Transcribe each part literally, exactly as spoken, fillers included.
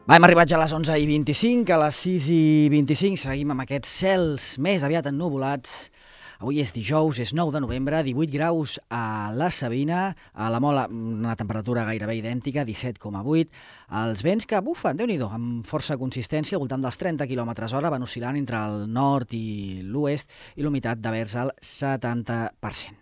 Va, hem arribat ja a les onze i vint-i-cinc, a les sis i vint-i-cinc seguim amb aquests cels més aviat ennuvolats. Avui és dijous, és nou de novembre, divuit graus a la Sabina, a la Mola una temperatura gairebé idèntica, disset coma vuit. Els vents que bufen, Déu-n'hi-do, amb força consistència, al voltant dels trenta quilòmetres hora, van oscil·lant entre el nord i l'oest i l'humitat de vers al setanta per cent.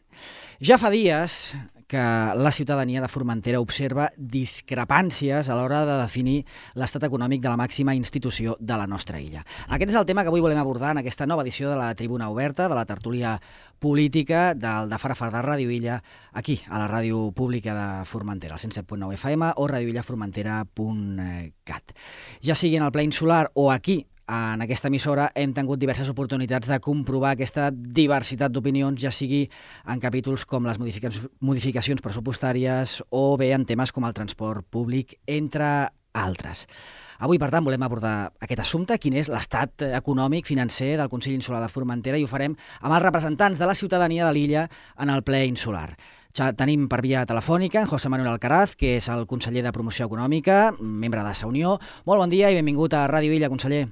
Ja fa dies que la ciutadania de Formentera observa discrepàncies a l'hora de definir l'estat econòmic de la màxima institució de la nostra illa. Aquest és el tema que avui volem abordar en aquesta nova edició de la Tribuna Oberta, de la tertúlia política del de Fara Fardà Ràdio Illa, aquí, a la ràdio pública de Formentera, al cent set punt nou F M o radioillaformentera punt cat. Ja sigui en el ple insular o aquí, en aquesta emissora, hem tingut diverses oportunitats de comprovar aquesta diversitat d'opinions, ja sigui en capítols com les modificacions pressupostàries o bé en temes com el transport públic, entre altres. Avui, per tant, volem abordar aquest assumpte, quin és l'estat econòmic, financer del Consell Insular de Formentera, i ho farem amb els representants de la ciutadania de l'illa en el ple insular. Ja tenim per via telefònica en José Manuel Alcaraz, que és el conseller de Promoció Econòmica, membre de Sa Unió. Molt bon dia i benvingut a Ràdio Illa, conseller.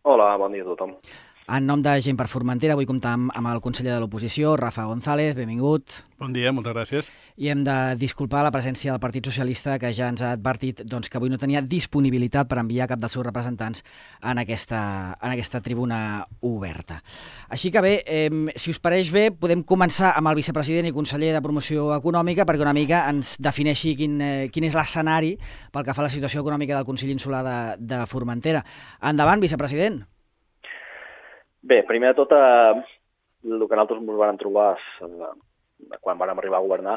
Hola, bon dia a tothom. En nom de Gent per Formentera, vull comptar amb, amb el conseller de l'oposició, Rafa González, benvingut. Bon dia, moltes gràcies. I hem de disculpar la presència del Partit Socialista, que ja ens ha advertit doncs, que avui no tenia disponibilitat per enviar cap dels seus representants en aquesta, en aquesta tribuna oberta. Així que bé, eh, si us pareix bé, podem començar amb el vicepresident i conseller de Promoció Econòmica perquè una mica ens defineixi quin, eh, quin és l'escenari pel que fa a la situació econòmica del Consell Insular de, de Formentera. Endavant, vicepresident. Bé, primer de tot, eh, el que nosaltres ens vam trobar eh, quan vam arribar a governar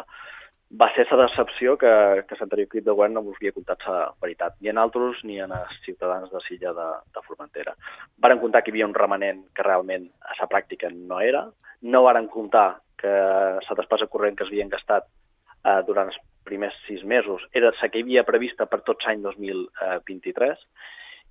va ser la decepció que, que l'anterior equip de govern no ens havia contat la veritat, ni a nosaltres ni a els ciutadans de l'illa de, de Formentera. Varen comptar que hi havia un remanent que realment a la pràctica no era, no varen comptar que la despesa corrent que s'havien gastat eh, durant els primers sis mesos era la que hi havia prevista per tot l'any dos mil vint-i-tres.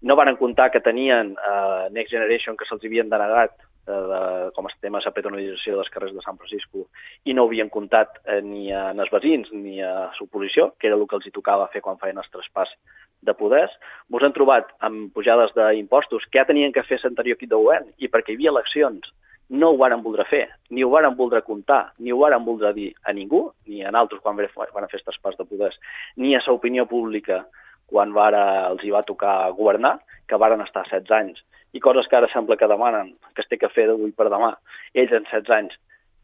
No varen comptar que tenien eh, Next Generation que se'ls havien denegat eh, de, com a tema de la peatonalització dels carrers de Sant Francisco i no havien comptat eh, ni en els veïns ni a l'oposició, que era el que els hi tocava fer quan feien el traspàs de poders. Ens han trobat amb pujades d'impostos que ja tenien que fer l'anterior equip de govern i perquè hi havia eleccions no ho varen voldre fer, ni ho varen voldre comptar, ni ho varen voldre dir a ningú, ni a nosaltres quan van fer el traspàs de poders, ni a l'opinió pública quan vara, els hi va tocar governar, que varen estar setze anys, i coses que ara sembla que demanen, que es té que fer d'avui per demà. Ells en setze anys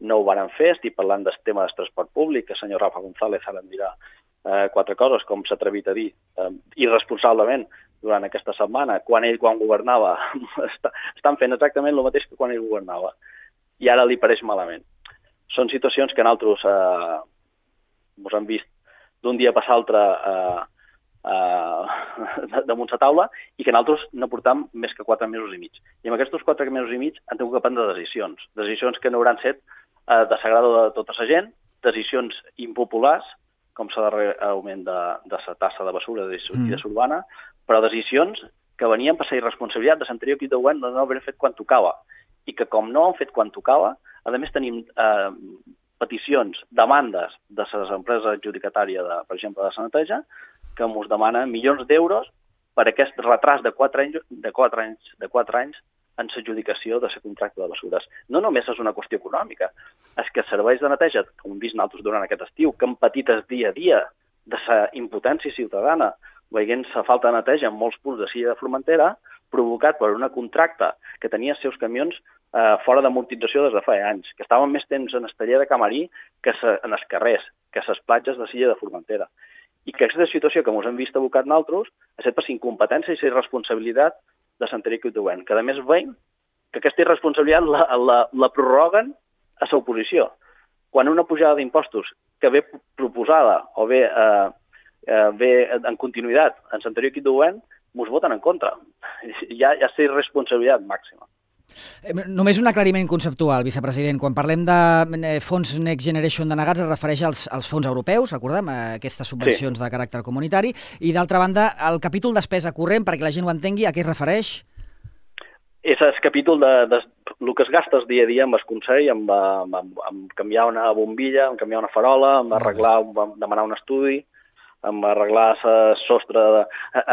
no ho varen fer, estic parlant del tema del transport públic, que el senyor Rafa González ara em dirà eh, quatre coses, com s'ha atrevit a dir, eh, irresponsablement durant aquesta setmana, quan ell, quan governava, estan fent exactament el mateix que quan ell governava, i ara li pareix malament. Són situacions que nosaltres eh, ens hem vist d'un dia per l'altre eh, Uh, damunt la taula i que nosaltres no portam més que quatre mesos i mig. I en aquests quatre mesos i mig han tingut que prendre decisions. Decisions que no hauran set uh, de sagrada de tota la gent, decisions impopulars, com el darrer augment de, de la tassa de basura de sortida mm. urbana, però decisions que venien per la irresponsabilitat de l'anterior equip de govern de no haver fet quan tocava. I que com no han fet quan tocava, a més tenim uh, peticions, demandes de les empreses adjudicatàries, de, per exemple, de la neteja, que ens demana milions d'euros per aquest retras de quatre anys, de quatre anys, de quatre anys en l'adjudicació de la contracte de basures. No només és una qüestió econòmica, és que serveis de neteja, com hem vist nosaltres durant aquest estiu, que han patit el dia a dia de la impotència ciutadana, veient la falta de neteja en molts punts de l'illa de Formentera, provocat per una contracta que tenia els seus camions eh, fora d'amortització des de fa anys, que estaven més temps en el taller de Camarí que en els carrers, que a les platges de l'illa de Formentera. i que aquesta situació que ens hem vist abocat nosaltres ha estat per incompetència i irresponsabilitat de l'anterior equip de govern, que a més veiem que aquesta irresponsabilitat la, la, la prorroguen a l'oposició. Quan una pujada d'impostos que ve proposada o ve, eh, eh, ve en continuïtat en l'anterior equip de govern, ens voten en contra. Hi ha, hi ha la irresponsabilitat màxima. Només un aclariment conceptual, vicepresident. Quan parlem de fons Next Generation denegats es refereix als, als fons europeus, recordem, aquestes subvencions sí. de caràcter comunitari, i d'altra banda, el capítol despesa corrent, perquè la gent ho entengui, a què es refereix? És el capítol de, de el que es gasta el dia a dia amb el Consell, amb, amb, amb canviar una bombilla, amb canviar una farola, amb arreglar, amb demanar un estudi, amb arreglar el sostre, de,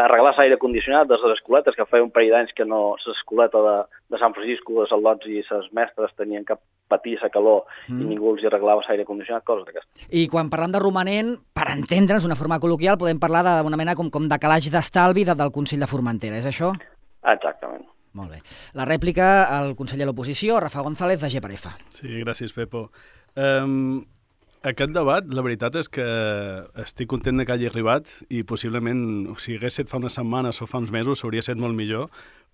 arreglar l'aire condicionat de les escoletes, que feia un parell d'anys que no, l'escoleta de, de Sant Francisco, de Saldots i les mestres tenien que patir la calor mm. i ningú els arreglava l'aire condicionat, coses d'aquestes. I quan parlem de romanent, per entendre'ns d'una forma col·loquial, podem parlar d'una mena com, com de calaix d'estalvi de, del Consell de Formentera, és això? Exactament. Molt bé. La rèplica al conseller de l'oposició, Rafa González, de G per F. Sí, gràcies, Pepo. Um... Aquest debat, la veritat és que estic content que hagi arribat i possiblement, si hagués estat fa unes setmanes o fa uns mesos, hauria estat molt millor,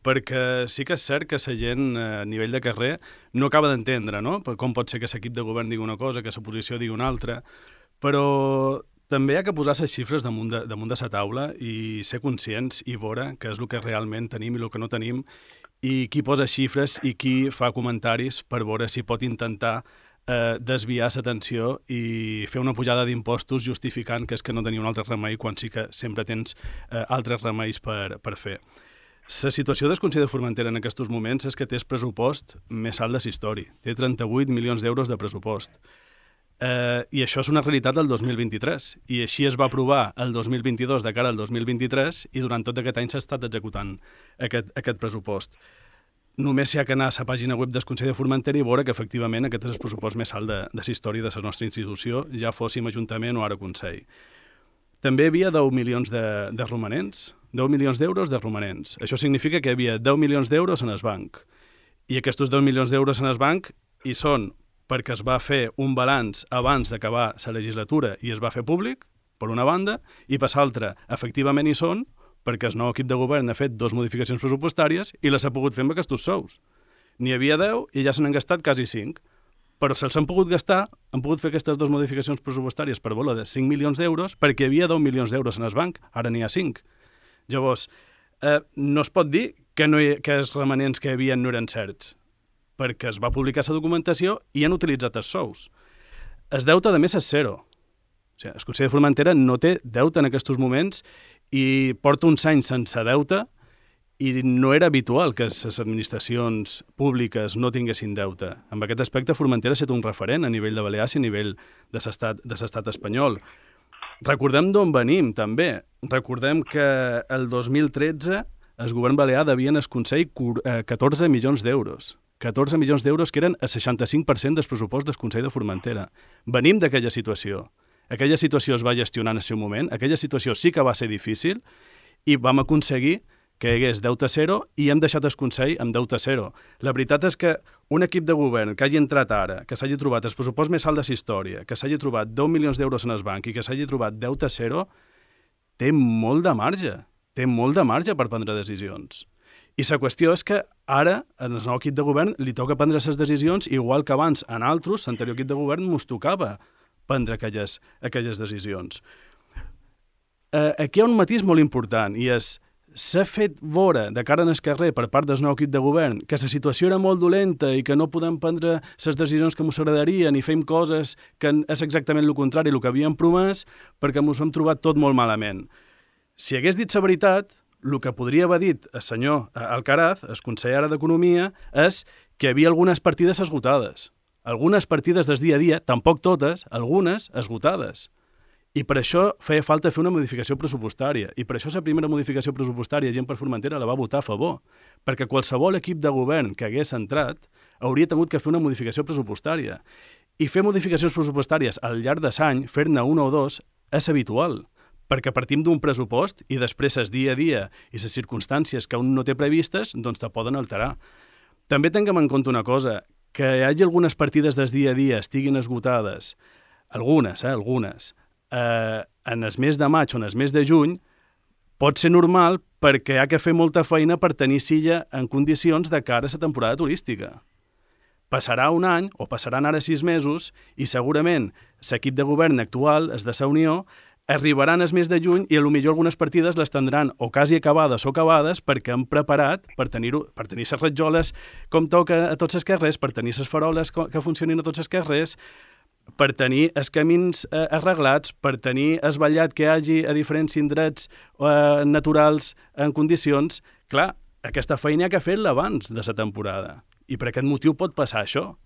perquè sí que és cert que la gent a nivell de carrer no acaba d'entendre, no? Com pot ser que l'equip de govern digui una cosa, que l'oposició digui una altra, però també hi ha que posar les xifres damunt de, damunt de la taula i ser conscients i veure què és el que realment tenim i el que no tenim, i qui posa xifres i qui fa comentaris per veure si pot intentar Eh, desviar l'atenció i fer una pujada d'impostos justificant que és que no tenia un altre remei quan sí que sempre tens eh, altres remeis per, per fer. La situació del Consell de Formentera en aquests moments és que té el pressupost més alt de la història. Té trenta-vuit milions d'euros de pressupost. Eh, I això és una realitat del dos mil vint-i-tres. I així es va aprovar el dos mil vint-i-dos de cara al dos mil vint-i-tres i durant tot aquest any s'ha estat executant aquest, aquest pressupost. Només s'hi ha d'anar a la pàgina web del Consell de Formentera i veure que efectivament aquest és el pressupost més alt de, de la història de la nostra institució, ja fóssim Ajuntament o ara Consell. També hi havia deu milions de, de romanents, deu milions d'euros de romanents. Això significa que hi havia deu milions d'euros en el banc. I aquests deu milions d'euros en el banc hi són perquè es va fer un balanç abans d'acabar la legislatura i es va fer públic, per una banda, i per l'altra, efectivament hi són, perquè el nou equip de govern ha fet dues modificacions pressupostàries i les ha pogut fer amb aquests sous. N'hi havia deu i ja se n'han gastat quasi cinc. Però se'ls han pogut gastar, han pogut fer aquestes dues modificacions pressupostàries per valor de cinc milions d'euros perquè hi havia deu milions d'euros en el banc, ara n'hi ha cinc. Llavors, eh, no es pot dir que, no hi, que els remanents que hi havia no eren certs, perquè es va publicar la documentació i han utilitzat els sous. El deute, a més, és zero. O sigui, el Consell de Formentera no té deute en aquests moments i porta uns anys sense deute i no era habitual que les administracions públiques no tinguessin deute. En aquest aspecte, Formentera ha estat un referent a nivell de Balears i a nivell de l'estat de l'estat espanyol. Recordem d'on venim, també. Recordem que el dos mil tretze el govern balear devia al Consell catorze milions d'euros. catorze milions d'euros que eren el seixanta-cinc per cent del pressupost del Consell de Formentera. Venim d'aquella situació. Aquella situació es va gestionar en el seu moment, aquella situació sí que va ser difícil i vam aconseguir que hi hagués deute zero i hem deixat el Consell amb deute zero. La veritat és que un equip de govern que hagi entrat ara, que s'hagi trobat el pressupost més alt de la història, que s'hagi trobat deu milions d'euros en el banc i que s'hagi trobat deute zero, té molt de marge, té molt de marge per prendre decisions. I la qüestió és que ara, en el nou equip de govern, li toca prendre les decisions igual que abans en altres, l'anterior equip de govern mos tocava prendre aquelles, aquelles decisions. Eh, aquí hi ha un matís molt important i és s'ha fet veure de cara en el carrer per part del nou equip de govern que la situació era molt dolenta i que no podem prendre les decisions que ens agradarien i fem coses que és exactament el contrari del que havíem promès perquè ens ho hem trobat tot molt malament. Si hagués dit la veritat, el que podria haver dit el senyor Alcaraz, el conseller d'Economia, és que hi havia algunes partides esgotades. Algunes partides del dia a dia, tampoc totes, algunes esgotades. I per això feia falta fer una modificació pressupostària. I per això la primera modificació pressupostària, Gent per Formentera, la va votar a favor. Perquè qualsevol equip de govern que hagués entrat hauria tingut que fer una modificació pressupostària. I fer modificacions pressupostàries al llarg de l'any, fer-ne una o dos, és habitual. Perquè partim d'un pressupost i després el dia a dia i les circumstàncies que un no té previstes, doncs te poden alterar. També tinguem en compte una cosa, que hi hagi algunes partides del dia a dia estiguin esgotades, algunes, eh, algunes, eh, en el mes de maig o en el mes de juny pot ser normal perquè ha que fer molta feina per tenir silla en condicions de cara a la temporada turística. Passarà un any, o passaran ara sis mesos, i segurament l'equip de govern actual, el de la Unió, arribaran el mes de juny i potser algunes partides les tindran o quasi acabades o acabades perquè han preparat per tenir per tenir les ratjoles com toca a tots els carrers, per tenir les faroles que funcionin a tots els carrers, per tenir els camins eh, arreglats, per tenir el ballat que hi hagi a diferents indrets eh, naturals en condicions. Clar, aquesta feina hi ha que fer-la abans de la temporada. I per aquest motiu pot passar això.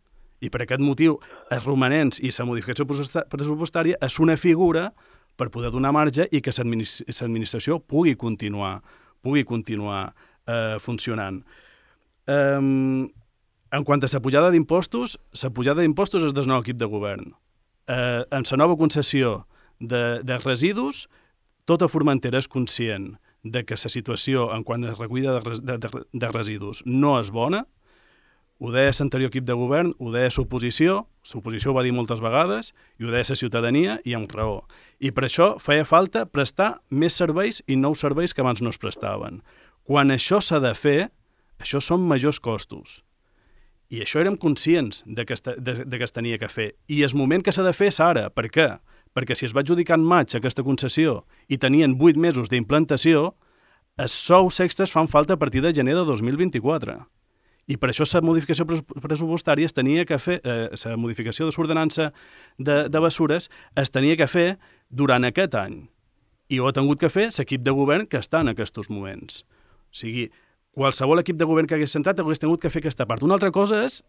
I per aquest motiu els romanents i la modificació pressupostària és una figura per poder donar marge i que l'administració pugui continuar, pugui continuar eh, funcionant. Um, en quant a la pujada d'impostos, la pujada d'impostos és del nou equip de govern. Eh, en la nova concessió de, de residus, tota Formentera és conscient de que la situació en quant a recollida de, de, de, de residus no és bona. Ho deia l'anterior equip de govern, ho deia l'oposició, l'oposició ho va dir moltes vegades, i ho deia la ciutadania, i amb raó. I per això feia falta prestar més serveis i nous serveis que abans no es prestaven. Quan això s'ha de fer, això són majors costos. I això érem conscients de que es, de, de que es tenia que fer. I el moment que s'ha de fer és ara. Per què? Perquè si es va adjudicar en maig aquesta concessió i tenien vuit mesos d'implantació, els sous extras fan falta a partir de gener de dos mil vint-i-quatre. I per això la modificació pressupostària es tenia que fer, eh, la modificació de l'ordenança de, de bessures es tenia que fer durant aquest any. I ho ha tingut que fer l'equip de govern que està en aquests moments. O sigui, qualsevol equip de govern que hagués centrat hagués tingut que fer aquesta part. Una altra cosa és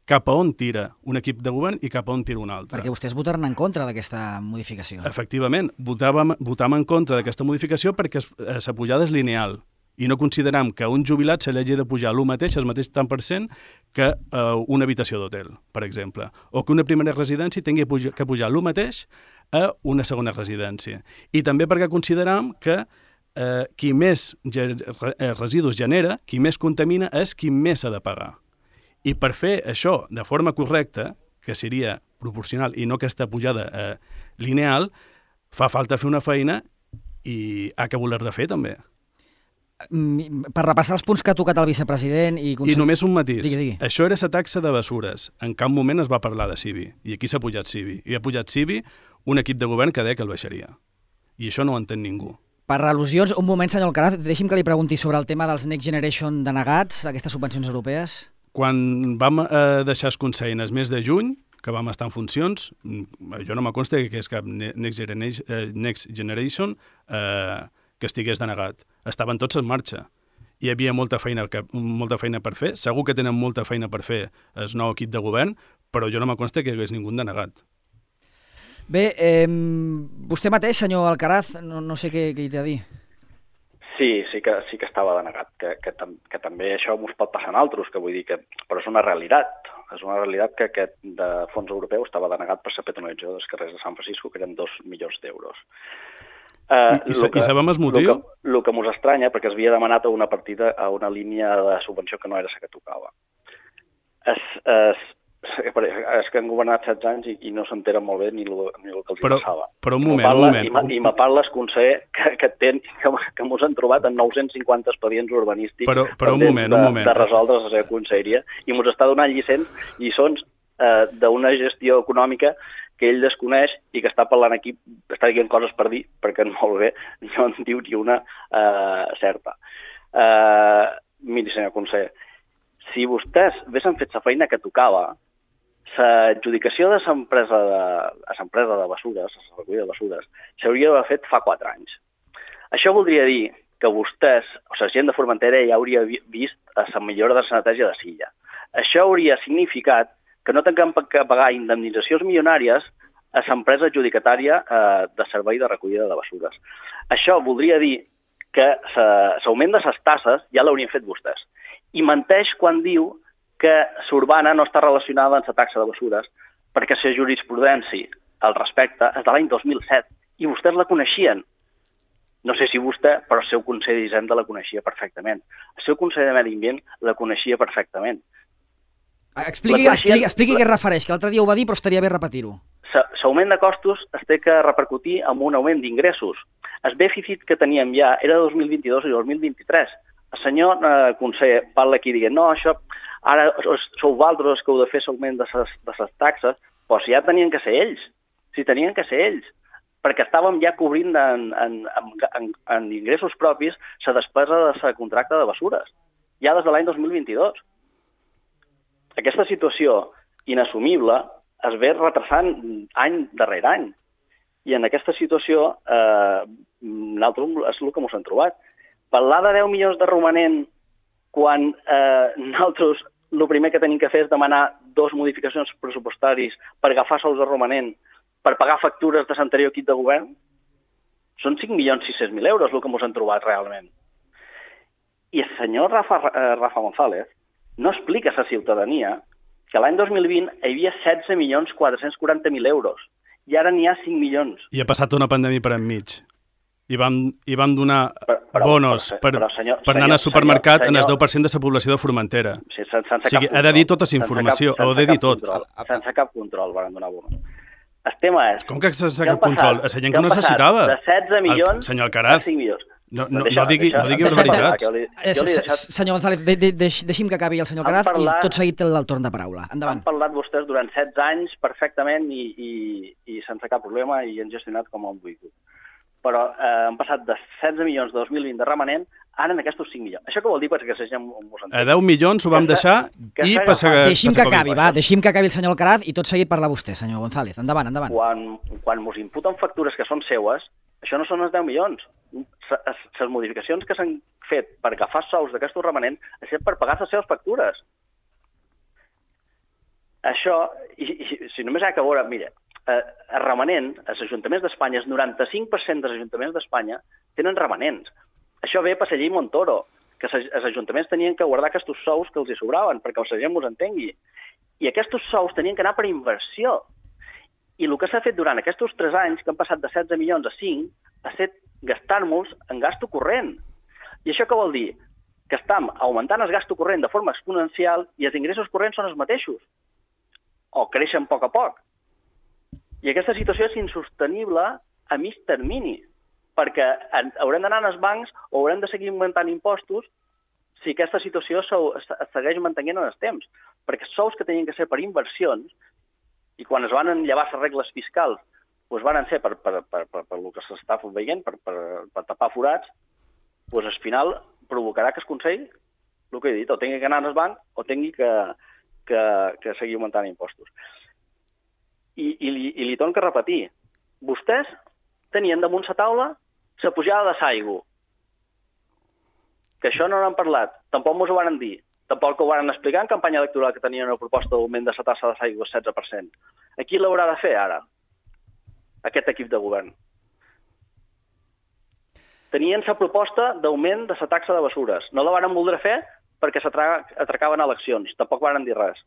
cap a on tira un equip de govern i cap a on tira un altre. Perquè vostès votaran en contra d'aquesta modificació. Efectivament, votàvem, votàvem en contra d'aquesta modificació perquè la pujada és lineal. I no consideram que un jubilat se li hagi de pujar el mateix, el mateix tant per cent, que uh, una habitació d'hotel, per exemple. O que una primera residència tingui que pujar el mateix a una segona residència. I també perquè consideram que uh, qui més residus genera, qui més contamina, és qui més ha de pagar. I per fer això de forma correcta, que seria proporcional i no aquesta pujada eh, lineal, fa falta fer una feina i ha que voler-la fer també. Per repassar els punts que ha tocat el vicepresident... I, consell... I només un matís. Digui, digui. Això era la taxa de bessures. En cap moment es va parlar de C I B I. I aquí s'ha pujat C I B I. I ha pujat C I B I un equip de govern que deia que el baixaria. I això no ho entén ningú. Per al·lusions, un moment, senyor Alcaraz, deixi'm que li pregunti sobre el tema dels Next Generation denegats, aquestes subvencions europees. Quan vam eh, deixar el Consell en el mes de juny, que vam estar en funcions, jo no me consta que és cap Next Generation, eh, Next Generation eh, que estigués denegat. Estaven tots en marxa. Hi havia molta feina, que, molta feina per fer. Segur que tenen molta feina per fer el nou equip de govern, però jo no me consta que hi hagués ningú denegat. Bé, eh, vostè mateix, senyor Alcaraz, no, no sé què, què hi té a dir. Sí, sí que, sí que estava denegat, que, que, que també això ens pot passar en altres, que vull dir que... Però és una realitat, és una realitat que aquest de fons europeu estava denegat per la petonalització dels carrers de Sant Francisco, que eren dos milions d'euros. Uh, I, i, que, I sabem el motiu? El que, que mos estranya, perquè es havia demanat a una partida, a una línia de subvenció que no era la que tocava. Es, es, és que han governat setze anys i, i no s'enteren molt bé ni el, ni el que els però, passava. Però un moment, parla, un moment. I me parla el conseller que, que, ten, que, que mos han trobat en nou-cents cinquanta expedients urbanístics però, però un moment, de, un moment. de resoldre la seva conselleria i mos està donant lliçons, lliçons eh, d'una gestió econòmica que ell desconeix i que està parlant aquí, està dient coses per dir, perquè molt bé no en diu ni una eh, certa. Eh, miri, senyor conseller, si vostès haguessin fet la feina que tocava, l'adjudicació de l'empresa de, l'empresa de bessures, la recollida de bessures, s'hauria d'haver fet fa quatre anys. Això voldria dir que vostès, o la gent de Formentera, ja hauria vist la millora de la neteja de Silla. Això hauria significat que no tinguem que pagar indemnitzacions milionàries a l'empresa adjudicatària eh, de servei de recollida de bessures. Això voldria dir que l'augment de les tasses ja l'haurien fet vostès. I menteix quan diu que l'urbana no està relacionada amb la taxa de bessures, perquè la jurisprudència al respecte és de l'any dos mil set i vostès la coneixien. No sé si vostè, però el seu conseller d'Hisenda la coneixia perfectament. El seu conseller de Medi Ambient la coneixia perfectament. Expliqui, expliqui, expliqui què es refereix, que l'altre dia ho va dir, però estaria bé repetir-ho. L'augment de costos es té que repercutir amb un augment d'ingressos. El dèficit que teníem ja era de dos mil vint-i-dos i dos mil vint-i-tres. El senyor eh, conseller parla aquí dient no, això, ara sou vosaltres que heu de fer l'augment de les taxes, però si ja tenien que ser ells, si tenien que ser ells, perquè estàvem ja cobrint en, en, en, en ingressos propis la despesa de la contracta de bessures, ja des de l'any dos mil vint-i-dos. Aquesta situació inassumible es ve retrasant any darrere any. I en aquesta situació, eh, nosaltres és el que ens hem trobat. Parlar de deu milions de romanent quan eh, nosaltres el primer que tenim que fer és demanar dos modificacions pressupostaris per agafar sous de romanent, per pagar factures de l'anterior equip de govern, són cinc milions sis-cents mil euros el que ens hem trobat realment. I el senyor Rafa, eh, Rafa González no explica a la ciutadania que l'any dos mil vint hi havia setze milions quatre-cents quaranta mil euros i ara n'hi ha cinc milions. I ha passat una pandèmia per enmig. I vam, i vam donar però, però, bonos per, però, senyor, per anar senyor, al supermercat senyor, senyor, en el deu per cent de la població de Formentera. Sí, sense, sense o sigui, ha de dir tota la informació, ho ha de dir tot. Control, sense cap control van donar bonos. El tema és... Com que sense cap control? La gent que ho necessitava. De setze milions el, senyor Alcaraz, a cinc milions. No, no, no digui, no digui barbaritats. Senyor González, de, de, de, deixi'm que acabi el senyor Alcaraz parlat, i tot seguit té el torn de paraula. Endavant. Han parlat vostès durant setze anys perfectament i, i, i sense cap problema i han gestionat com han volgut. Però eh, han passat de setze milions de dos mil vint de remanent ara en aquests cinc milions. Això què vol dir? Perquè la gent mos entén. A deu milions ho vam deixar i passa... Deixi'm que acabi, va, deixi'm que acabi el senyor Alcaraz i tot seguit parla vostè, senyor González. Endavant, endavant. Quan, quan mos imputen factures que són seues, això no són els deu milions. Les modificacions que s'han fet per agafar sous d'aquestos remanents és per pagar les seves factures. Això, i, i si només hi ha que veure, mira, eh, el remanent, els ajuntaments d'Espanya, el noranta-cinc per cent dels ajuntaments d'Espanya tenen remanents. Això ve per la llei Montoro, que els ajuntaments tenien que guardar aquests sous que els hi sobraven, perquè la gent mos entengui. I aquests sous tenien que anar per inversió. I el que s'ha fet durant aquests tres anys, que han passat de setze milions a cinc, ha estat gastar-nos en gasto corrent. I això què vol dir? Que estem augmentant el gasto corrent de forma exponencial i els ingressos corrents són els mateixos. O creixen a poc a poc. I aquesta situació és insostenible a mig termini, perquè haurem d'anar als bancs o haurem de seguir augmentant impostos si aquesta situació es segueix mantenint en els temps. Perquè els sous que tenien que ser per inversions, i quan es van enllavar les regles fiscals, doncs van ser per, per, per, per, per el que s'està veient, per, per, per tapar forats, doncs al final provocarà que el Consell, el que he dit, o tingui que anar al banc o tingui que, que, que seguir augmentant impostos. I, i, li, i li torno a repetir, vostès tenien damunt la taula la pujada de l'aigua. Que això no n'han parlat, tampoc mos ho van dir, tampoc ho van explicar en campanya electoral que tenien una proposta d'augment de la tassa de l'aigua al setze per cent. A qui l'haurà de fer ara, aquest equip de govern? Tenien la proposta d'augment de la taxa de bessures. No la van voler fer perquè s'atracaven eleccions, tampoc van dir res.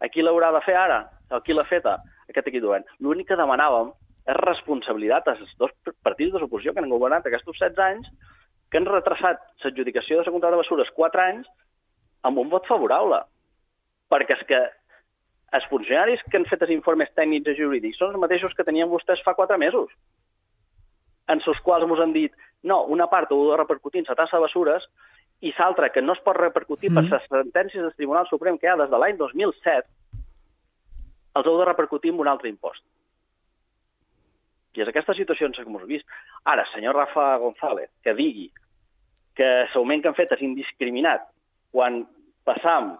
A qui l'haurà de fer ara? A qui l'ha feta? Aquest equip de govern. L'únic que demanàvem és responsabilitat als dos partits de l'oposició que han governat aquests setze anys, que han retrasat l'adjudicació de la contracta de bessures quatre anys amb un vot favorable. Perquè és que els funcionaris que han fet els informes tècnics i jurídics són els mateixos que tenien vostès fa quatre mesos, en els quals ens han dit no, una part ho ha de repercutir en la tassa de bessures i l'altra que no es pot repercutir mm. per les sentències del Tribunal Suprem que hi ha des de l'any dos mil set, els heu de repercutir en un altre impost. I és aquesta situació en què hem vist. Ara, senyor Rafa González, que digui que l'augment que han fet és indiscriminat quan passam,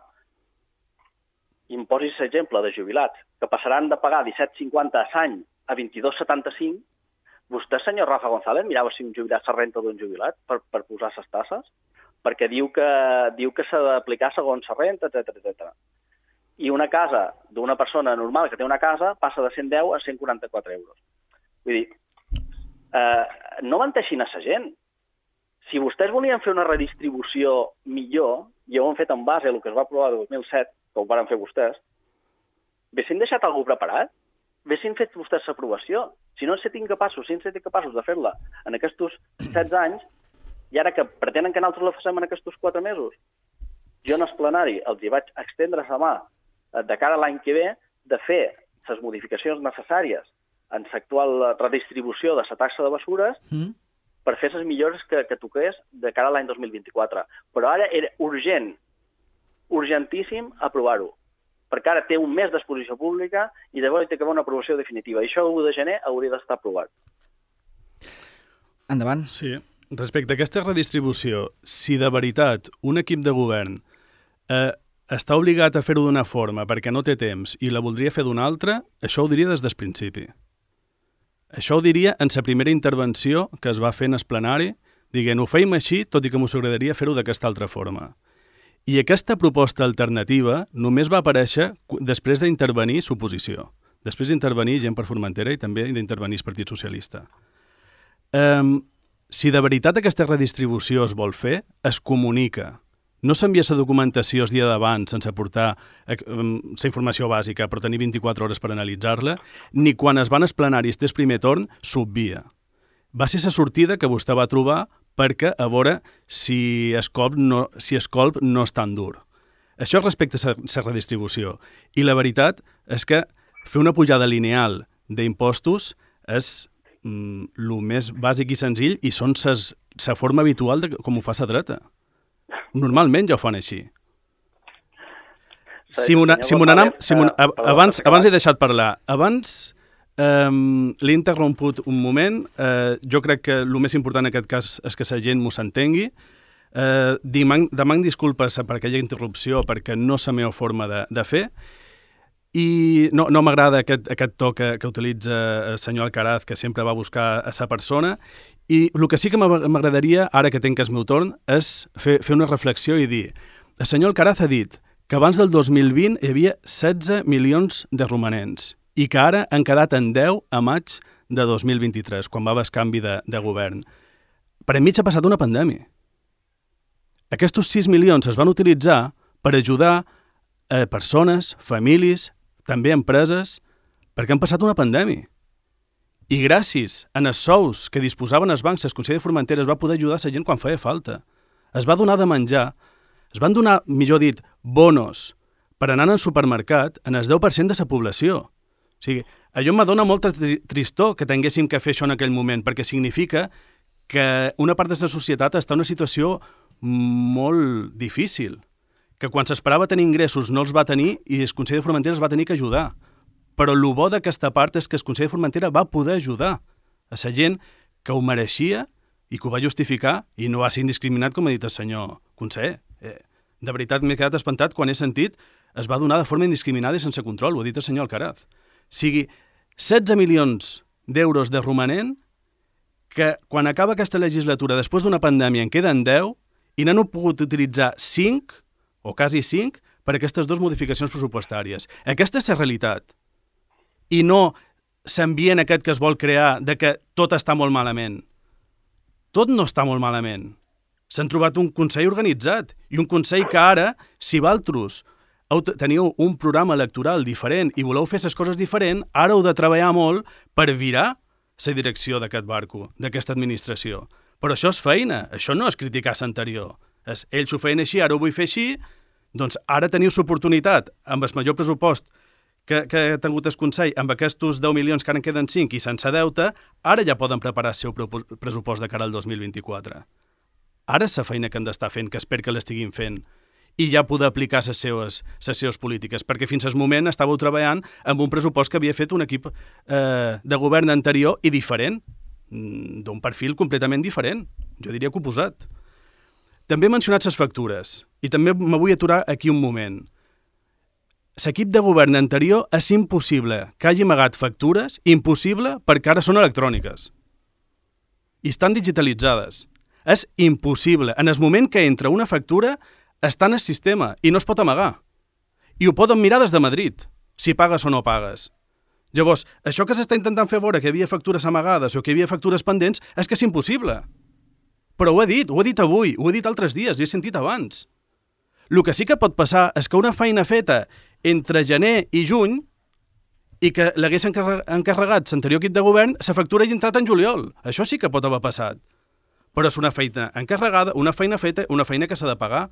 imposis l'exemple de jubilats, que passaran de pagar disset coma cinquanta a l'any a vint-i-dos coma setanta-cinc, vostè, senyor Rafa González, mirava si un jubilat la renta d'un jubilat per, per posar les tasses? Perquè diu que, diu que s'ha d'aplicar segons la renta, etcètera, etcètera. I una casa d'una persona normal que té una casa passa de cent deu a cent quaranta-quatre euros. Vull dir, eh, no menteixin a la gent. Si vostès volien fer una redistribució millor, i ho han fet en base a el que es va aprovar el dos mil set, que ho van fer vostès, haguessin deixat algú preparat? Haguessin fet vostès l'aprovació? Si no en set incapaços, si en set incapaços de fer-la en aquests setze anys, i ara que pretenen que nosaltres la facem en aquests quatre mesos, jo en el plenari els hi vaig extendre la mà de cara a l'any que ve, de fer les modificacions necessàries en l'actual redistribució de la taxa de bessures mm. per fer les millores que, que toqués de cara a l'any dos mil vint-i-quatre. Però ara era urgent, urgentíssim aprovar-ho, perquè ara té un mes d'exposició pública i llavors té que haver una aprovació definitiva. I això l'u de gener hauria d'estar aprovat. Endavant. Sí. Respecte a aquesta redistribució, si de veritat un equip de govern eh, està obligat a fer-ho d'una forma perquè no té temps i la voldria fer d'una altra, això ho diria des del principi. Això ho diria en la primera intervenció que es va fer en el plenari, dient, ho feim així, tot i que m'ho agradaria fer-ho d'aquesta altra forma. I aquesta proposta alternativa només va aparèixer després d'intervenir l'oposició, després d'intervenir gent per Formentera i també d'intervenir el Partit Socialista. Um, si de veritat aquesta redistribució es vol fer, es comunica. No s'envia la documentació el dia d'abans sense portar la informació bàsica, però tenir vint-i-quatre hores per analitzar-la, ni quan es van als plenaris del primer torn, s'obvia. Va ser la sortida que vostè va trobar perquè a veure si el colp no, si el colp no és tan dur. Això respecte a la redistribució. I la veritat és que fer una pujada lineal d'impostos és mm, el més bàsic i senzill i són la forma habitual de com ho fa la dreta. Normalment ja ho fan així. Si m'ho si anam... Si abans, abans he deixat parlar. Abans um, l'he interromput un moment. Uh, jo crec que el més important en aquest cas és que la gent m'ho s'entengui. Uh, demanc disculpes per aquella interrupció perquè no és la meva forma de, de fer. I no, no m'agrada aquest, aquest to que, que utilitza el senyor Alcaraz, que sempre va buscar a sa persona. I el que sí que m'agradaria, ara que tinc el meu torn, és fer, fer una reflexió i dir, el senyor Alcaraz ha dit que abans del dos mil vint hi havia setze milions de romanents i que ara han quedat en deu a maig de dos mil vint-i-tres, quan va haver el canvi de, de govern. Per enmig ha passat una pandèmia. Aquests sis milions es van utilitzar per ajudar a persones, famílies, també empreses, perquè han passat una pandèmia. I gràcies a els sous que disposaven els bancs, el Consell de Formentera es va poder ajudar la gent quan feia falta. Es va donar de menjar, es van donar, millor dit, bonos per anar al supermercat en el deu per cent de la població. O sigui, allò em dona molta tristor que tinguéssim que fer això en aquell moment, perquè significa que una part de la societat està en una situació molt difícil, que quan s'esperava tenir ingressos no els va tenir i el Consell de Formentera es va tenir que ajudar. Però el bo d'aquesta part és que el Consell de Formentera va poder ajudar a la gent que ho mereixia i que ho va justificar i no va ser indiscriminat, com ha dit el senyor conseller. Eh, de veritat m'he quedat espantat quan he sentit es va donar de forma indiscriminada i sense control, ho ha dit el senyor Alcaraz. O sigui, setze milions d'euros de romanent que quan acaba aquesta legislatura, després d'una pandèmia, en queden deu i n'han pogut utilitzar cinc o quasi cinc per aquestes dues modificacions pressupostàries. Aquesta és la realitat. I no s'ambient aquest que es vol crear de que tot està molt malament. Tot no està molt malament. S'han trobat un Consell organitzat i un Consell que ara, si vosaltres teniu un programa electoral diferent i voleu fer les coses diferent, ara heu de treballar molt per virar la direcció d'aquest barco, d'aquesta administració. Però això és feina, això no és criticar l'anterior. És, ells ho feien així, ara ho vull fer així, doncs ara teniu l'oportunitat, amb el major pressupost que, que ha tingut el Consell, amb aquests deu milions que ara en queden cinc i sense deute, ara ja poden preparar el seu pressupost de cara al dos mil vint-i-quatre. Ara és la feina que han d'estar fent, que espero que l'estiguin fent, i ja poder aplicar les seves, les seves polítiques, perquè fins al moment estàveu treballant amb un pressupost que havia fet un equip eh, de govern anterior i diferent, d'un perfil completament diferent, jo diria que oposat. També he mencionat les factures, i també me vull aturar aquí un moment. L'equip de govern anterior és impossible que hagi amagat factures, impossible perquè ara són electròniques. I estan digitalitzades. És impossible. En el moment que entra una factura, està en el sistema i no es pot amagar. I ho poden mirar des de Madrid, si pagues o no pagues. Llavors, això que s'està intentant fer veure que hi havia factures amagades o que hi havia factures pendents és que és impossible. Però ho he dit, ho he dit avui, ho he dit altres dies, i he sentit abans. El que sí que pot passar és que una feina feta entre gener i juny i que l'hagués encarregat l'anterior equip de govern, la factura hagi entrat en juliol. Això sí que pot haver passat. Però és una feina encarregada, una feina feta, una feina que s'ha de pagar.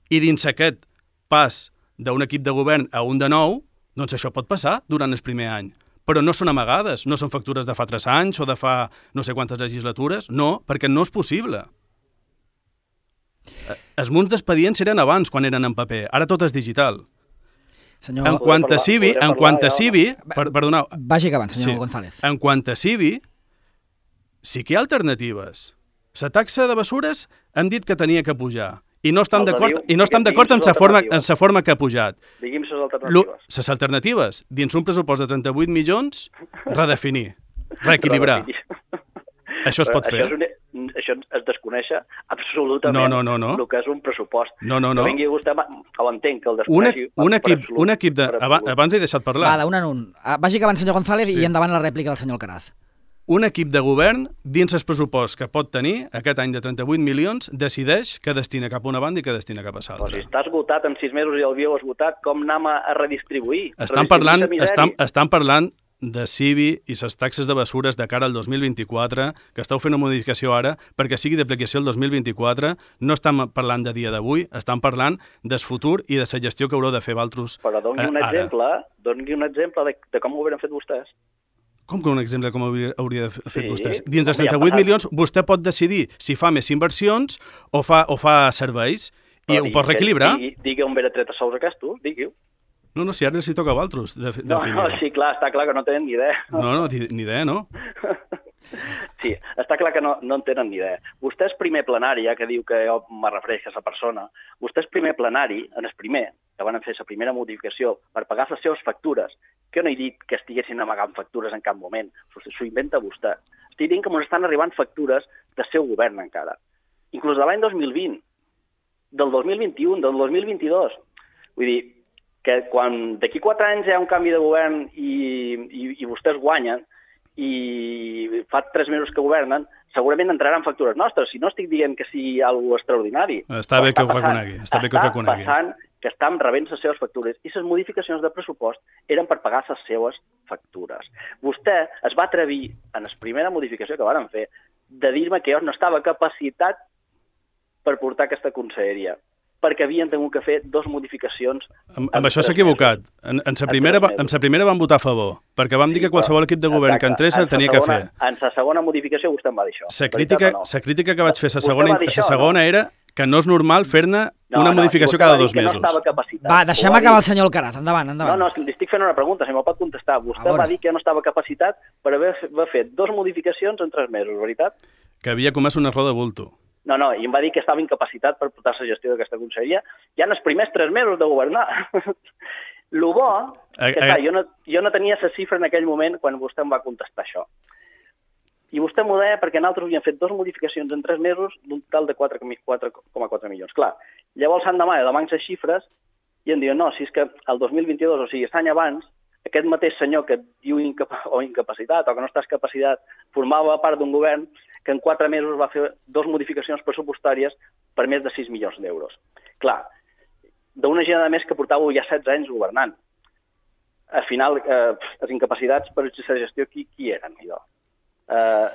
I dins aquest pas d'un equip de govern a un de nou, doncs això pot passar durant el primer any. Però no són amagades, no són factures de fa tres anys o de fa no sé quantes legislatures, no, perquè no és possible. Els munts d'expedients eren abans, quan eren en paper, ara tot és digital. Senyor... En quant a C I B I, en quant a C I B I, per, perdoneu... Vagi acabant, senyor sí. González. En quant a C I B I, sí que hi ha alternatives. La taxa de bessures hem dit que tenia que pujar. I no estem d'acord i no estem d'acord amb la forma, amb la forma que ha pujat. Digui'm les alternatives. Les alternatives, dins un pressupost de trenta-vuit milions, redefinir, reequilibrar. Això es pot fer. Això, és un, això es desconeix absolutament no, no, no, no. el que és un pressupost. No, no, no. Que vingui vostè, ho entenc, que el desconeixi. Un, un, equip, un equip de... Abans, abans he deixat parlar. Va, d'un en un. Vagi acabant, senyor González, sí. I endavant la rèplica del senyor Alcaraz. Un equip de govern, dins el pressupost que pot tenir aquest any de trenta-vuit milions, decideix que destina cap a una banda i que destina cap a l'altra. Però si està esgotat en sis mesos i el havíeu esgotat, com anem a redistribuir? Estan parlant, estan, estan parlant de C I B I i les taxes de bessures de cara al dos mil vint-i-quatre, que esteu fent una modificació ara perquè sigui d'aplicació el dos mil vint-i-quatre. No estan parlant de dia d'avui, estan parlant del futur i de la gestió que haureu de fer vosaltres ara. Però doni un exemple, doni un exemple de, de com ho hauran fet vostès. Com que un exemple com hauria, hauria de fer sí, vostès? Dins de trenta-vuit milions, vostè pot decidir si fa més inversions o fa, o fa serveis i Però ho pot reequilibrar. Digui, digui on ve de tret a sous aquests, digui-ho. No, no, si ara els hi toca a vosaltres de, de no, no, sí, clar, està clar que no tenen ni idea. No, no, ni idea, no. Sí, està clar que no, no en tenen ni idea. Vostè és primer plenari, ja que diu que jo me refereixo a aquesta persona, vostè és primer plenari, en el primer, que van fer la primera modificació per pagar les seves factures, que no he dit que estiguessin amagant factures en cap moment, s'ho inventa vostè. Estic dient que ens estan arribant factures del seu govern encara, inclús de l'any dos mil vint, del dos mil vint-i-u, del dos mil vint-i-dos. Vull dir, que quan d'aquí quatre anys hi ha un canvi de govern i, i, i vostès guanyen, i fa tres mesos que governen, segurament entraran factures nostres. Si no estic dient que sigui alguna cosa extraordinari. Està bé que ho reconegui. Està bé que ho reconegui. Està passant que estan rebent les seves factures i les modificacions de pressupost eren per pagar les seves factures. Vostè es va atrevir, en la primera modificació que van fer, de dir-me que jo no estava capacitat per portar aquesta conselleria, perquè havien tingut que fer dos modificacions. Amb, amb això s'ha equivocat. En, en, sa primera, en sa primera van votar a favor, perquè vam dir que qualsevol equip de govern que entrés el tenia que fer. En la segona modificació vostè em va dir això. La crítica, no. crítica que vaig fer a la segona, a segona no? era que no és normal fer-ne no, una modificació no, cada dos mesos. No va, deixem acabar el senyor Alcaraz. Endavant, endavant. No, no, li estic fent una pregunta, si me'l pot contestar. Vostè va dir que no estava capacitat per haver fet dos modificacions en tres mesos, veritat? Que havia comès un error de bulto. No, no, i em va dir que estava incapacitat per portar la gestió d'aquesta conselleria ja en els primers tres mesos de governar. Lo bo, que clar, jo, no, jo no tenia la xifra en aquell moment quan vostè em va contestar això. I vostè m'ho deia perquè nosaltres havíem fet dues modificacions en tres mesos d'un total de quatre coma quatre milions. Clar, llavors l'endemà de les xifres i em diuen, no, si és que el dos mil vint-i-dos, o sigui, l'any abans, aquest mateix senyor que diu incap o incapacitat o que no estàs capacitat formava part d'un govern que en quatre mesos va fer dues modificacions pressupostàries per més de sis milions d'euros. Clar, d'una gent a més que portava ja setze anys governant. Al final, eh, les incapacitats per la gestió, qui, qui eren? Jo? Eh,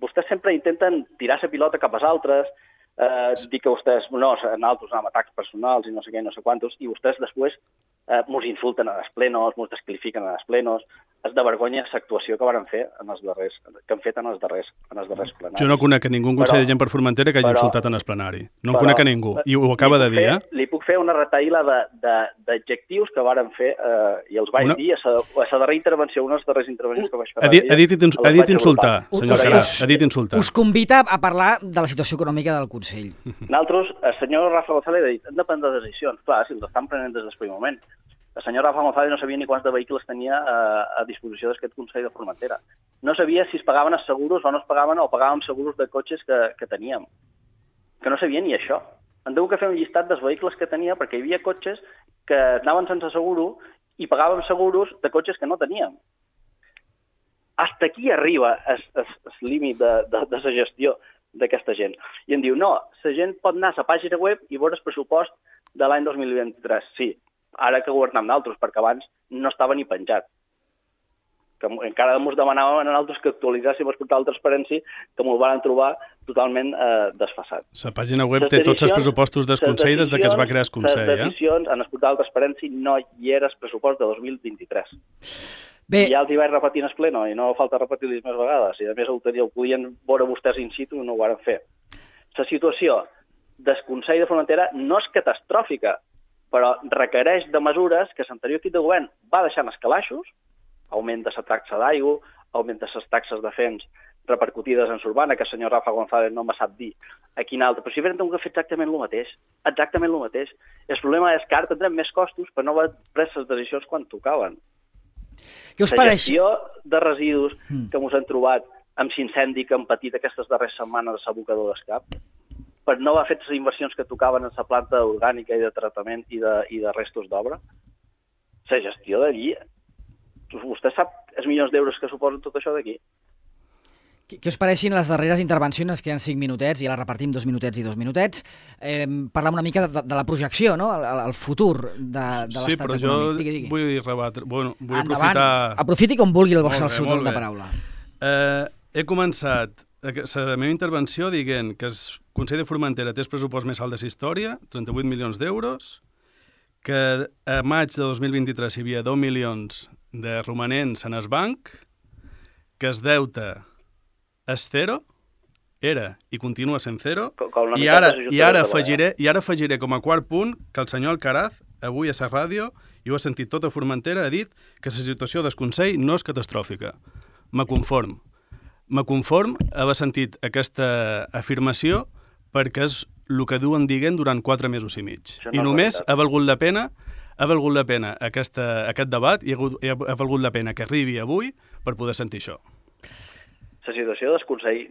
vostès sempre intenten tirar la pilota cap als altres, eh, dir que vostès, no, nosaltres amb atacs personals i no sé què, no sé quantos, i vostès després eh, mos insulten a les plenos, mos descalifiquen a les plenos. És de vergonya l'actuació que van fer en els darrers, que han fet en els darrers, en els darrers plenaris. Jo no conec a ningú en Consell de Gent per Formentera que hagi però, insultat en el plenari. No en conec a ningú. I ho acaba de dir, fer, eh? Li puc fer una retaïla d'adjectius que varen fer eh, i els vaig una... dir a la darrera intervenció, una de les darreres intervencions que vaig fer. Ha dit, ha dit, ins ha dit insultar, senyor Carat. Ha dit insultar. Us convida a parlar de la situació econòmica del Consell. Nosaltres, el senyor Rafa González ha dit, hem de prendre decisions. Clar, si els estan prenent des del primer moment. El senyor Rafa González no sabia ni quants de vehicles tenia a, a disposició d'aquest Consell de Formentera. No sabia si es pagaven els seguros o no es pagaven o pagàvem seguros de cotxes que, que teníem. Que no sabia ni això. Hem hagut que fer un llistat dels vehicles que tenia perquè hi havia cotxes que anaven sense seguro i pagàvem seguros de cotxes que no teníem. Hasta aquí arriba el límit de, de, de la gestió d'aquesta gent. I em diu, no, la gent pot anar a la pàgina web i veure el pressupost de l'any dos mil vint-i-tres. Sí, ara que governem d'altres, perquè abans no estava ni penjat. que encara ens demanàvem a nosaltres que actualitzéssim el portal de transparència, que m'ho van trobar totalment eh, desfassat. La pàgina web té tots els pressupostos del Consell des que es va crear el Consell. Les decisions en el portal de transparència no hi era el pressupost de dos mil vint-i-tres. Bé. I ja els hi vaig repetir en el pleno, i no falta repetir-los més vegades. I a més ho, ho podien veure vostès in situ i no ho van fer. La situació del Consell de Frontera no és catastròfica, però requereix de mesures que l'anterior equip de govern va deixar en els calaixos, augment de la taxa d'aigua, augment de les taxes de fems repercutides en l'urbana, que el senyor Rafa González no me sap dir a quin altre, però si hauríem de fer exactament el mateix, exactament el mateix. El problema és que ara tindrem més costos per no haver pres les decisions quan tocaven. Què us la pareix? gestió de residus mm. que ens hem trobat amb l'incendi que hem patit aquestes darreres setmanes a l'abocador d'Escap, per no haver fet les inversions que tocaven en la planta orgànica i de tractament i de, i de restos d'obra, la gestió d'allí, vostè sap els milions d'euros que suposen tot això d'aquí? Què us pareixin les darreres intervencions, que hi ha cinc minutets, i la repartim dos minutets i dos minutets? Eh, parlem una mica de, de la projecció, no? el, el futur de, de l'estat econòmic. Sí, però jo digui, digui. vull rebatre, bueno, vull Endavant. aprofitar... Aprofiti com vulgui el vostre seu torn de paraula. Eh, he començat la meva intervenció dient que el Consell de Formentera té el pressupost més alt de la història, trenta-vuit milions d'euros, que a maig de dos mil vint-i-tres hi havia dos milions de romanents en el banc, que es deute és zero, era i continua sent zero, i ara, i, ara afegiré, i ara afegiré com a quart punt que el senyor Alcaraz, avui a la ràdio, i ho ha sentit tota Formentera, ha dit que la situació del Consell no és catastròfica. Me conform. Me conform haver sentit aquesta afirmació perquè és el que duen dient durant quatre mesos i mig. No I només ha valgut la pena ha valgut la pena aquesta, aquest debat i ha, ha, ha valgut la pena que arribi avui per poder sentir això. La situació del Consell,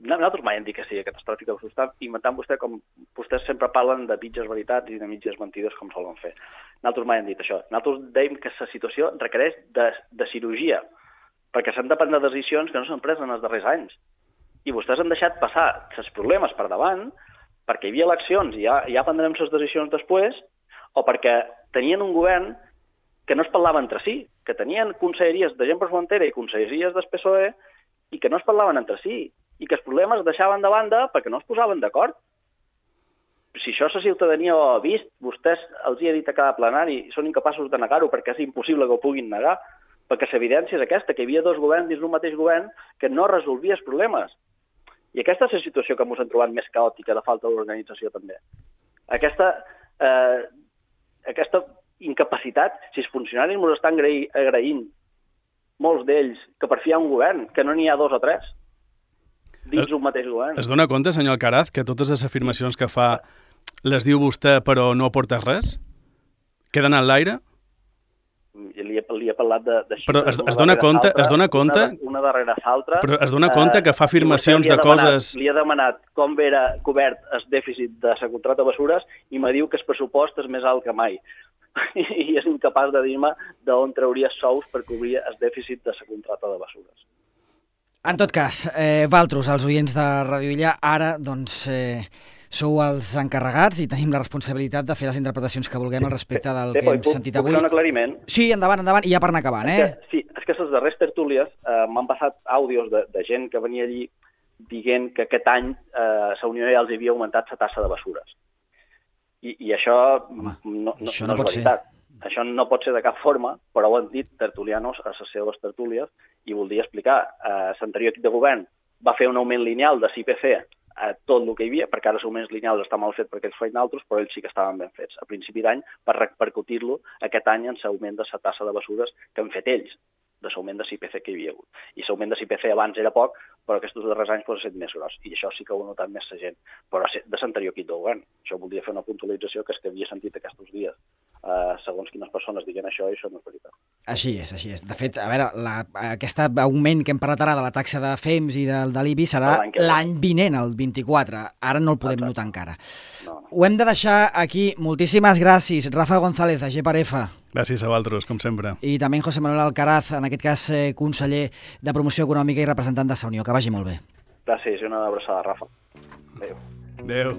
nosaltres mai hem dit que sigui catastròfica, ho està inventant vostè com vostès sempre parlen de mitges veritats i de mitges mentides com solen fer. Nosaltres mai hem dit això. Nosaltres dèiem que la situació requereix de, de cirurgia, perquè s'han de prendre decisions que no s'han pres en els darrers anys. I vostès han deixat passar els problemes per davant perquè hi havia eleccions i ja, ja prendrem les decisions després, o perquè tenien un govern que no es parlava entre si, que tenien conselleries de gent per frontera i conselleries del P S O E i que no es parlaven entre si, i que els problemes es deixaven de banda perquè no es posaven d'acord. Si això la ciutadania ho ha vist, vostès els hi ha dit a cada plenari i són incapaços de negar-ho perquè és impossible que ho puguin negar, perquè l'evidència és aquesta, que hi havia dos governs dins d'un mateix govern que no resolvia els problemes. I aquesta és la situació que ens hem trobat més caòtica de falta d'organització també. Aquesta, eh, aquesta incapacitat, si els funcionaris ens estan agraint, molts d'ells, que per fi hi ha un govern, que no n'hi ha dos o tres, dins un mateix govern. Es dona compte, senyor Alcaraz, que totes les afirmacions que fa les diu vostè però no aporta res? Queden en l'aire? Li he, li he parlat de, de però es, es dona compte, es dona compte una, una darrere l'altra. Però es dona compte que fa afirmacions de demanat, coses... Li he demanat com era cobert el dèficit de la contracta de Bessures i me diu que el pressupost és més alt que mai. I és incapaç de dir-me d'on trauria sous per cobrir el dèficit de la contracta de Bessures. En tot cas, eh, vosaltres, els oients de Ràdio Illa, ara doncs, eh, sou els encarregats i tenim la responsabilitat de fer les interpretacions que vulguem al respecte del sí, que hem puc, sentit puc avui. Puc fer un aclariment? Sí, endavant, endavant, i ja per anar acabant, eh? És que, sí, és que les darreres tertúlies eh, m'han passat àudios de, de gent que venia allí dient que aquest any eh, la Unió ja els havia augmentat la tassa de Bessures. I, i això, Home, no, no, això no, no és veritat. Ser. Això no pot ser de cap forma, però ho han dit tertulianos a les seves tertúlies i voldria explicar. Eh, l'anterior equip de govern va fer un augment lineal de l'I P C a tot el que hi havia, perquè ara els augments lineals està mal fet perquè ells feien altres, però ells sí que estaven ben fets. A principi d'any, per repercutir-lo aquest any en l'augment de la tassa de Bessures que han fet ells, de l'augment de l'I P C que hi havia hagut. I l'augment de l'I P C abans era poc, però aquests darrers anys pot ser més gros. I això sí que ho ha notat més la gent. Però de l'anterior equip de govern. Això voldria fer una puntualització que és que havia sentit aquests dies. Uh, segons quines persones diguen això, i això no és veritat. Així és, així és. De fet, a veure, la, aquest augment que hem parlat ara de la taxa de fems i del de l'I B I serà l'any vinent, el vint-i-quatre. Ara no el podem Exacte. notar encara. No, no. Ho hem de deixar aquí. Moltíssimes gràcies. Rafa González, de G per F. Gràcies a vosaltres, com sempre. I també José Manuel Alcaraz, en aquest cas eh, conseller de Promoció Econòmica i representant de la Unió. Que vagi molt bé. Gràcies i una abraçada, Rafa. Adéu. Adéu.